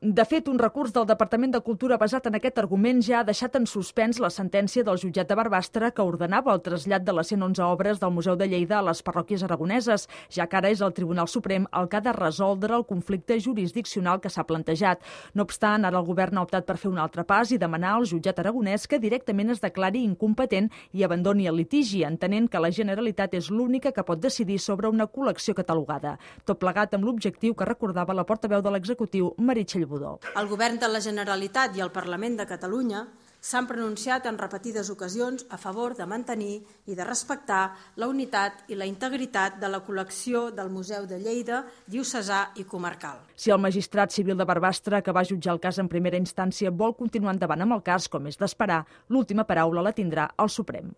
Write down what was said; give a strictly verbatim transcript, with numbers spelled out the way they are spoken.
De fet, un recurs del Departament de Cultura basat en aquest argument ja ha deixat en suspens la sentència del jutjat de Barbastre que ordenava el trasllat de les cent onze obres del Museu de Lleida a les parròquies aragoneses, ja que ara és el Tribunal Suprem el que ha de resoldre el conflicte jurisdiccional que s'ha plantejat. No obstant, ara el govern ha optat per fer un altre pas i demanar al jutjat aragonès que directament es declari incompetent i abandoni el litigi, entenent que la Generalitat és l'única que pot decidir sobre una col·lecció catalogada. Tot plegat amb l'objectiu que recordava la portaveu de l'executiu, Meritxell Budó. El govern de la Generalitat i el Parlament de Catalunya s'han pronunciat en repetides ocasions a favor de mantenir i de respectar la unitat i la integritat de la col·lecció del Museu de Lleida, diocesà i comarcal. Si el magistrat civil de Barbastre, que va jutjar el cas en primera instància, vol continuar endavant amb el cas, com és d'esperar, l'última paraula la tindrà el Suprem.